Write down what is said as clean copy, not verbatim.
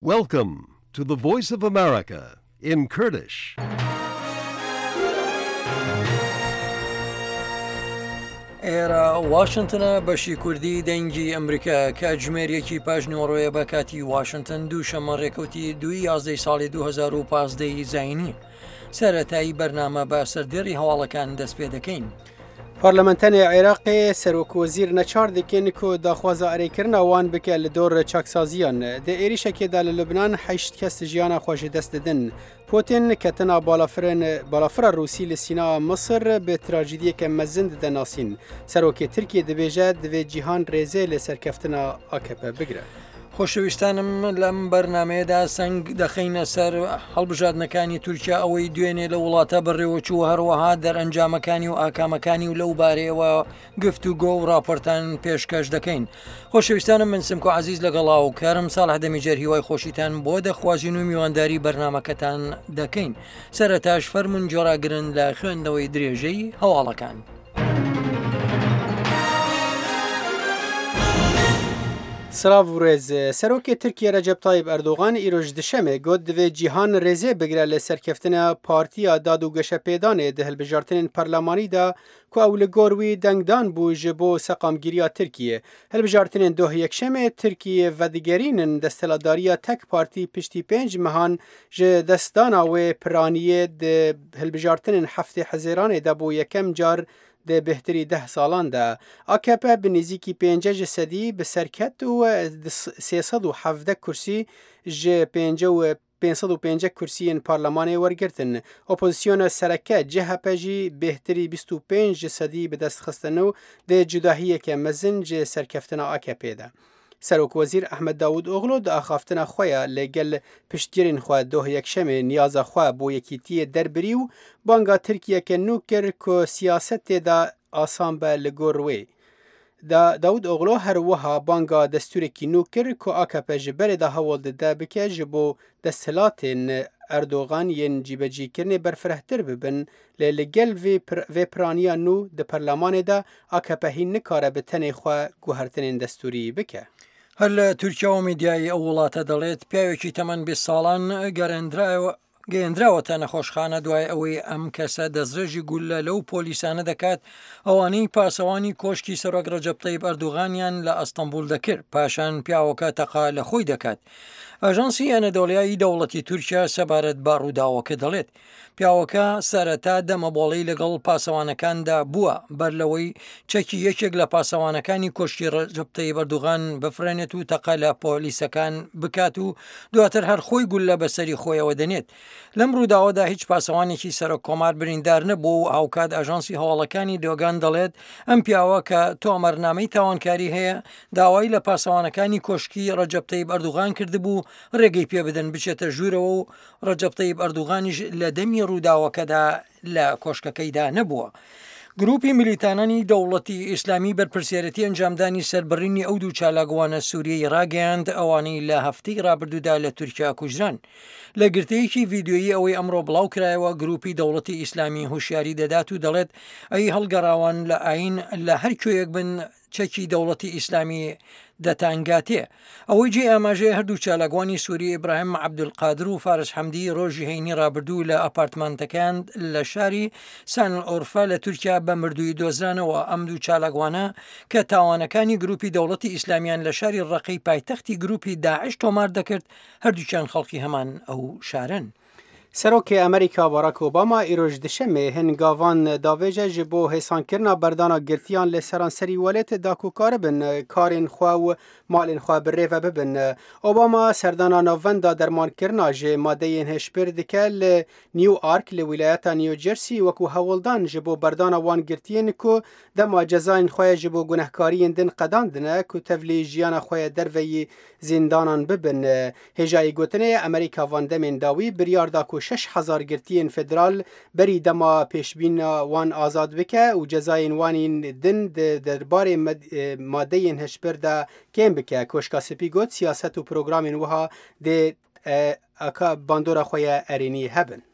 Welcome to the Voice of America in Kurdish. ئێرە واشنتنە بەشی کوردی دەنگی ئەمریکا کاتژمێر یەکی پاش نیوەڕۆیە بە کاتی واشنتن دوو شەممە ڕێکەوتی دوی یازدەی ساڵی 2015 ی زینی سەرەتایی بەرنامە بە سەردێڕی هەواڵەکان دەست پێ دەکەین. Parlamentenê Iraqê serokwezîr neçar dikin ku daxwaza erêkirina wan bike li dor çaksaziyan. Di êrîşekê de li Lubnan heşt kes jiyana xwe ji dest didin. Putin ketina balafirên balafira Rûsî li Sînaa Misir bi trajediyeke mezin dide nasîn. Serokê Tirkiyê dibêje divê cîhan rêzê li serkeftina akp bigire. خۆشەویستانم لەم بەرنمەیەدا سەنگ دەخەینە سەر هەڵبژاردنەکانی تورکیا ئەوەی دوێنێ لە وڵاتە بەڕێوەچوو هەروەها دەرئەنجامەکانی و ئاکامەکانی و لەو بارەیەوە گفتوگۆ و راپۆرتان پێشکەش دەکەین. خۆشەویستانم من سمکۆ عەزیز لەگەڵا و کارم ساڵح دەمیجەر هیوای خۆشیتان بۆ دەخوازین و میوانداری بەرنامەکەتان دەکەین. سەرەتاش فەرموون گوێڕاگرن لە خوێندنەوەی درێژەی هەواڵەکان. سڵاv û rêz. Serokê Tirkiyê Recep Tayyip Erdogan îro ji Duşemê got divê cîhan rêzê bigire li serkeftina Partiya Dad û Geşepêdanê di hilbijartinên parlemanî de ku ew li gor wî dengdan bû ji bo seqamgîriya Tirkiyê. Hilbijartinên doh Yekşemê Tirkiyê vedigerînin desthilatdariya tek partî piştî pênc mehan ji destdana wê piraniyê di hilbijartinên heftê Hezêranê de bo yekem car di bêhtirî deh salan de. Akp bi nêzîkî pênce ji sedî bi ser ket û 317 kursî ji pênce û 505 kursiyên parlemanê wergirtin. Opozisyona sereke CHP jî bêhtirî 25 ji sedî bi dest xistin û di cudahiyeke mezin ji serkeftina AKP'ê de. Serokwezîr Ahmet Davutoglu di axaftina xwe ya li gel piştgirên xwe doh Yekşemê niyaza xwe bo yekîtiyê derbirî û banga Tirkiyeke nû kir ku siyasetê de asan be li gor wê. Davutoglu her wiha banga destûrekî nû kir ku akp ji berê de hewl dide bike ji bo desthilatên Erdogan yên cîbecîkirinê berfirehtir bibin lê li gel vê vê piraniya nû di parlemanê de akp hîn nikare bi tenê xwe guhertinên destûrî bike. هەر لە تورکیاوە میدیای ئەو وڵاتە دەڵێت پیاوێکی تەمەن 20 ساڵان گەڕێندرایەوە گەیەندراوەتە نەخۆشخانە دوای ئەوەی ئەم کەسە دەستڕێژی گوللە لەو پۆلیسانە دەکات ئەوانەی پاسەوانی کۆشکی سەرۆک ڕەجەب تەیب ئەردوغانیان لە ئەستەنبوڵ دەکرد پاشان پیاوەکە تەقە لە خۆی دەکات. ئاژانسی ئەنەدۆڵیای دەوڵەتی تورکیا سەبارەت بە ڕووداوەکە دەڵێت پیاوەکە سەرەتا دەمەبۆڵەی لەگەڵ پاسەوانەکاندا بووە بەر لەوەی چەکی یەکێک لە پاسەوانەکانی کۆشکی ڕەجەب تەیب ئەردوغان بفڕێنێت و تەقە لە پۆلیسەکان بکات و دواتر هەر خۆی گوللە بەسەری خۆیەوە دەنێت. لەم ڕووداوەدا هیچ پاسەوانێکی سەرۆک کۆمار بریندار نەبووە و هاوکات ئاژانسی هەواڵەکانی دۆگان دەڵێت ئەم پیاوە کە تۆمارنامەی تاوانکاری هەیە داوای لە پاسەوانەکانی کۆشکی ڕەجەب تەیب ئەردوغان کردبوو ڕێگەی پێبدەن بچێتە ژوورەوە و ڕەجەب تەیب ئەردوغانیش لە دەمی ڕووداوەکەدا لە کۆشکەکەیدا نەبووە. گروپی میلیتانانی دەوڵەتی ئیسلامی بەرپرسیارەتی ئەنجامدانی سەربڕینی ئەو دوو چالاکوانە سووریەی ڕاگەیاند ئەوانەی لە هەفتەی ڕابردوودا لە تورکیا کوژران. لە گرتەیەکی ڤیدیۆیی ئەوەی ئەمڕۆ بڵاو کرایەوە گروپی دەوڵەتی ئیسلامی هۆشیاری دەدات و دەڵێت ئەی هەڵگەڕاوان لە ئایین لە هەر کوێیەک بن چەکی دەوڵەتی ئیسلامی دەتانگاتێ. ئەوەی جێی ئاماژەیە هەردوو چالاکوانی سوری ئیبراهیم عەبدولقادر و فارس حەمدی ڕۆژی هەینی ڕابردوو لە ئەپارتمانتەکەیان لە شاری سانلئۆرفە لە تورکیا بە مردوویی دۆزرانەوە. ئەم دوو چالاکوانە کە تاوانەکانی گروپی دەوڵەتی ئیسلامیان لە شاری ڕەقەی پایتەختی گروپی داعش تۆمار دەکرد، هەردووکیان خەڵکی هەمان ئەو شارەن. Serokê Amerîka Barack Obama îro ji Duşemê hin gavan davêje ji bo hêsankirina berdana girtiyan li seranserî welêt da ku karibin karên xwe û malên xwe bi rê ve bibin. Obama serdana navenda dermankirina ji madeyên hişbir dike li Newark li wîlayeta New Jersey wekû hewldan ji bo berdana wan girtiyên ku dema cezayên xwe ji bo gunehkariyên din qedandine ku tevlî jiyana xwe ya derveyî zindanan bibin. Hêjayî gotinê ye Amerîka van demên dawî biryar da ku 6000 girtiyên federal berî dema pêşbîna wan azad bike û cezayên wan yên din di derbarê madeyên hişbir de kêm bike. Koşka Spî got siyaset û programên wiha dê bandora xwe ye erênî hebin.